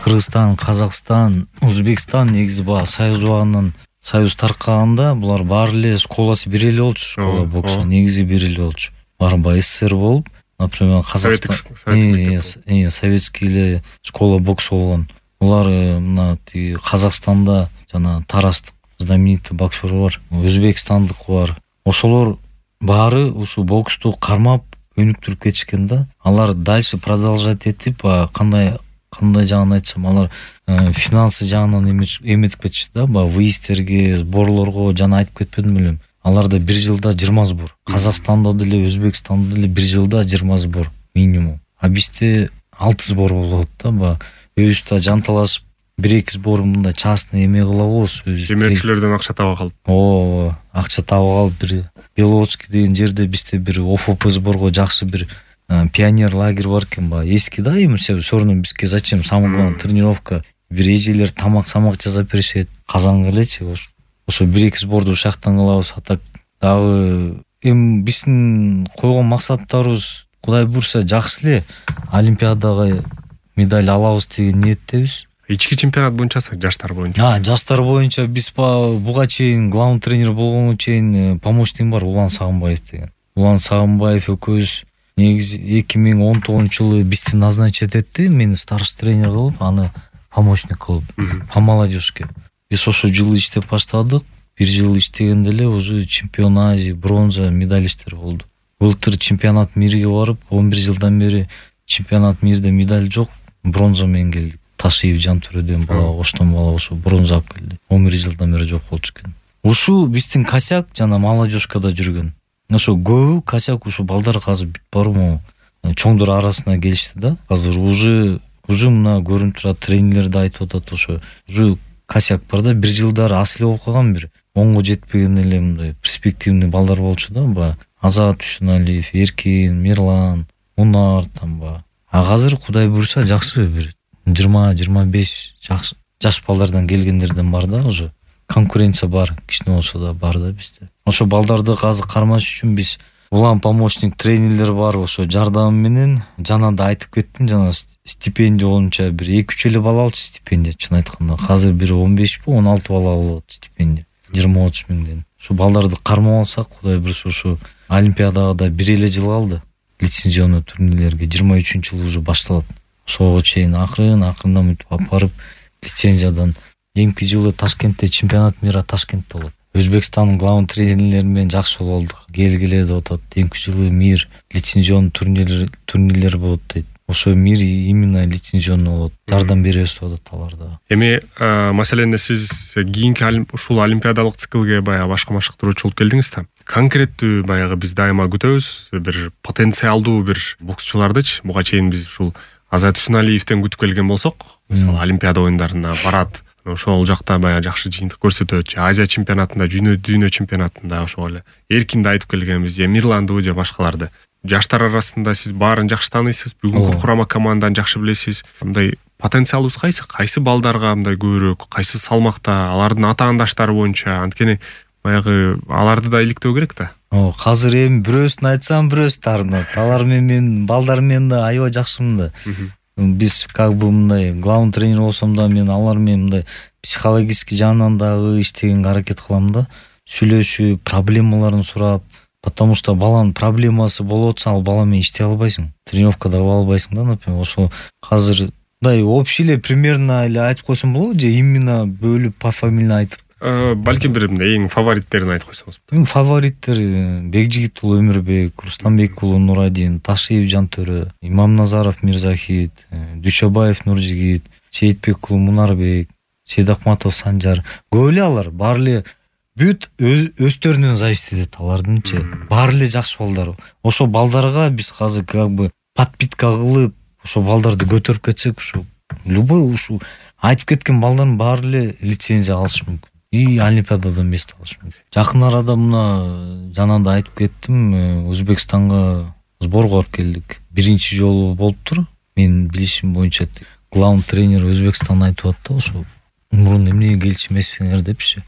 Кыргызстан, Казакстан, Өзбекстан негизи баягы союз убагынан союз таркаганда булар баары эле школасы бир эле болчу, школа боксу негизи бир эле болчу. Баары баягы СССР болуп, например, Казакстан советский эле школа боксу болгон. Булар мына Казакстанда жана Тарастык знаменитый боксер бар, Өзбекстандык бар. Ошолор баары ушу боксту кармап өнүктүрүп кетишкен да. Алар дальше продолжать этип, кандай жагын айтсам, алар финансы жагынан эметип кетишти да, выездтерге, сборлорго жана айтып кетпедим белем. Аларда бир жылда 20 сбор. Казакстанда деле, Өзбекстанда деле бир жылда 20 сбор минимум. А бизде 6 сбор болот да, өзүбүздө жанталашып 1-2 сбор мындай частный эме кылабыз. Демөөрчүлөрдөн акча таба калып. Акча таба калып бир Беловодский деген жерде бизде бир ОФП сборго жакшы бир пионер лагерь бар экен, эски да, эми все равно бизге зачем самый главный тренировка, бир эжелер тамак жасап беришет, казанга элечи. Ошо 1-2 сборду ушактан кылабыз. А так дагы эми биздин койгон максаттарыбыз Кудай буйрса жакшы эле Олимпиадага медаль алабыз деген ниеттебиз. Ички чемпионат боюнча, жаштар боюнча. Жаштар боюнча биз буга чейин главный тренер болгонго чейин помощник бар, Улан Сагынбаев деген. Улан Сагынбаев экөөбүз негизи 2019-жылы бизди назначить этти, мени старший тренер кылып, аны помощник кылып, по молодежке. Биз ошо жылы иштеп баштадык. Бир жыл иштегенде эле уже чемпион Азии, бронза медалисттер болду. Былтыр чемпионат мирге барып, 11 жылдан бери чемпионат мирде медаль жок, бронза менен келдик. Ташиев Жантөрөдөн бала, оштон бала ошо бронза алып келди. 11 жылдан бери жок болчу экен. Ушу биздин косяк жана молодежкада жүргөн. Ошо көбү косяк ушу балдар азыр бүт бармы чоңдор арасына келишти да. Азыр уже мына көрүнүп турат, тренерлер да айтып атат, ошо уже косяк бар да. Бир жылдары ас эле болуп калган, бир 10го жетпеген эле мындай перспективный балдар болчу да. Азат Түшүналиев, Эркин, Мирлан, Унар тамба. Азыр Кудай буйрса жакшы бир 20-25 жаш балдардан келгендерден бар да, уже конкуренция бар, кичине болсо да бар да бизде. Ошо балдарды азыр кармаш үчүн биз улам помощник тренерлер бар, ошо жардам менен жана да айтып кеттим, жана стипендия боюнча бир 2-3 эле бала алчу стипендия, чын айтканда. Азыр бир 15 16 бала болот стипендия. 20-30 миңден. Ошо балдарды кармап алсак, Кудай буйрса ошо Олимпиадага да бир эле жыл калды. Лицензионный турнирлерге 23-жыл уже башталат. Ошого чейин акырындан мынтип алып барып, лицензиядан эмки жылы Ташкентте чемпионат мира Ташкентте болот. Өзбекстандын главный тренерлери менен жакшы болдук. Келгиле деп атат. Эмки жылы мир лицензионный турнирлер болот дейт. Ошо мир именно лицензионный болот. Жардам беребиз деп атат аларда. Эми маселен сиз кийинки ушул олимпиадалык циклге баягы башка машыктыруучу болуп келдиңиз да. Конкреттүү баягы биз дайыма күтөбүз бир потенциалдуу бир боксчулардычы. Буга чейин биз ушул Азат Түшүналиевден күтүп келген болсок, мисалы Олимпиада оюндарына барат, ошол жакта баягы жакшы жыйынтык көрсөтөт. Азия чемпионатында, дүйнө чемпионатында ошол эле Эркинди айтып келгенбиз, же Мирланды, же башкаларды. Жаштар арасында сиз баарын жакшы тааныйсыз, бүгүнкү курама команданы жакшы билесиз. Мындай потенциалыбыз кайсы балдарга мындай көбүрөөк, кайсы салмакта, алардын атаандаштары боюнча, анткени баягы аларды да иликтөө керек да. Азыр эми бирөөсүн айтсам, бирөөсү таарынат. Алар менен балдар менен да аябай жакшымын да. Биз мындай главный тренер болсом да, мен алар менен мындай психологический жагынан дагы иштегенге аракет кылам да. Сүйлөшүп, проблемаларын сурап, потому что баланын проблемасы болуп атса, ал бала менен иштей албайсың. Тренировкада кыла албайсың да, например. Ошо азыр мындай общий эле примерно эле айтып койсом болобу, же именно бөлүп пофамильно айтып? Балким бир эң фавориттерин айтып койсоңуз. Фавориттер Бекжигит уулу Өмүрбек, Рустамбек уулу Нурадин, Ташиев Жантөрө, Имамназаров Мирзахит, Дүйшөбаев Нуржигит, Сейитбек уулу Мунарбек, Сейдакматов Санжар. Көп эле алар, баары эле бүт өздөрүнөн зависит этет алардынчы. Баары эле жакшы балдар. Ошо балдарга биз азыр подпитка кылып, ошо балдарды көтөрүп кетсек, ошо любой ушу айтып кеткен балдардын баары эле лицензия алышы мүмкүн. И Олимпиададан место алыш мүмкүн. Жакын арада мына жана да айтып кеттим, Өзбекстанга сборго барып келдик. Биринчи жолу болуптур. Мен билишим боюнча главный тренер Өзбекстан айтып атты, ошо мурун эмнеге келчү эмесиңер депчи.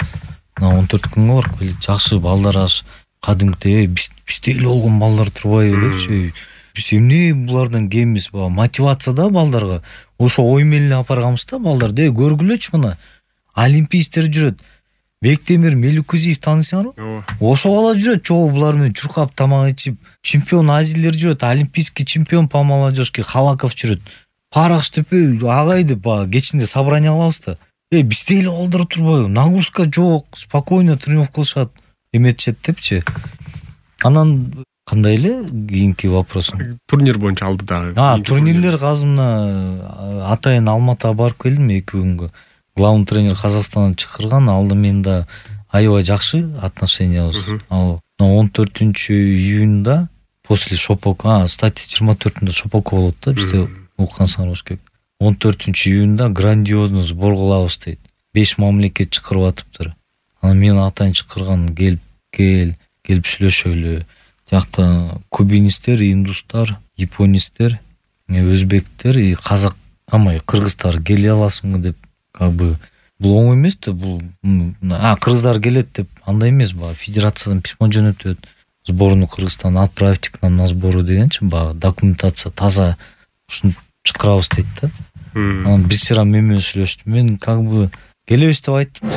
Мына 14 күнгө барып жакшы балдар аш кадимкидей бизде эле болгон балдар турбайбы депчи. биз эмне булардан кембиз, баягы мотивация да балдарга. Ошо ой менен алып барганбыз да балдарды. Көргүлөчү мына. Олимпийцтер жүрөт. Бектемир Меликузиев таанысыңарбы? Ооба. Ошо бала жүрөт, чогуу булар менен чуркап тамак ичип, чемпион Азилер жүрөт, олимпийский чемпион по молодежке Халаков жүрөт. Парак иштепей, агай деп баягы кечинде собрание кылабыз да. Бизде эле балдар турбайбы? Нагрузка жок, спокойно тренировка кылышат, эметишет депчи. Анан кандай эле кийинки вопрос? Турнир боюнча алды дагы. Турнирлер азыр мына атайын Алматыга барып келдим 2 күнгө. Главный тренер Казакстандан чакырган, алды мен да аябай жакшы отношениябыз. Ал 14-июнда после Шопока, кстати 24-үндө Шопока болот да, бизде уккансыңар болуш керек. 14-июнда грандиозный сбор кылабыз дейт. 5 мамлекет чакырып атыптыр. Анан мен атайын чакырган, келип сүйлөшөлү. Жакта кубинисттер, индустар, японисттер, өзбектер и казак, кыргыздар келе аласыңбы деп, как бы бул оңой эмес да, бул кыргыздар келет деп андай эмес, баягы федерациядан письмо жөнөтөт. Сборную Кыргызстан отправьте к нам на сбору дегенчи, баягы документация таза, ушуну чакырабыз дейт да. Анан бир сыйра мен менен сүйлөштү. Мен как бы келебиз деп айттым.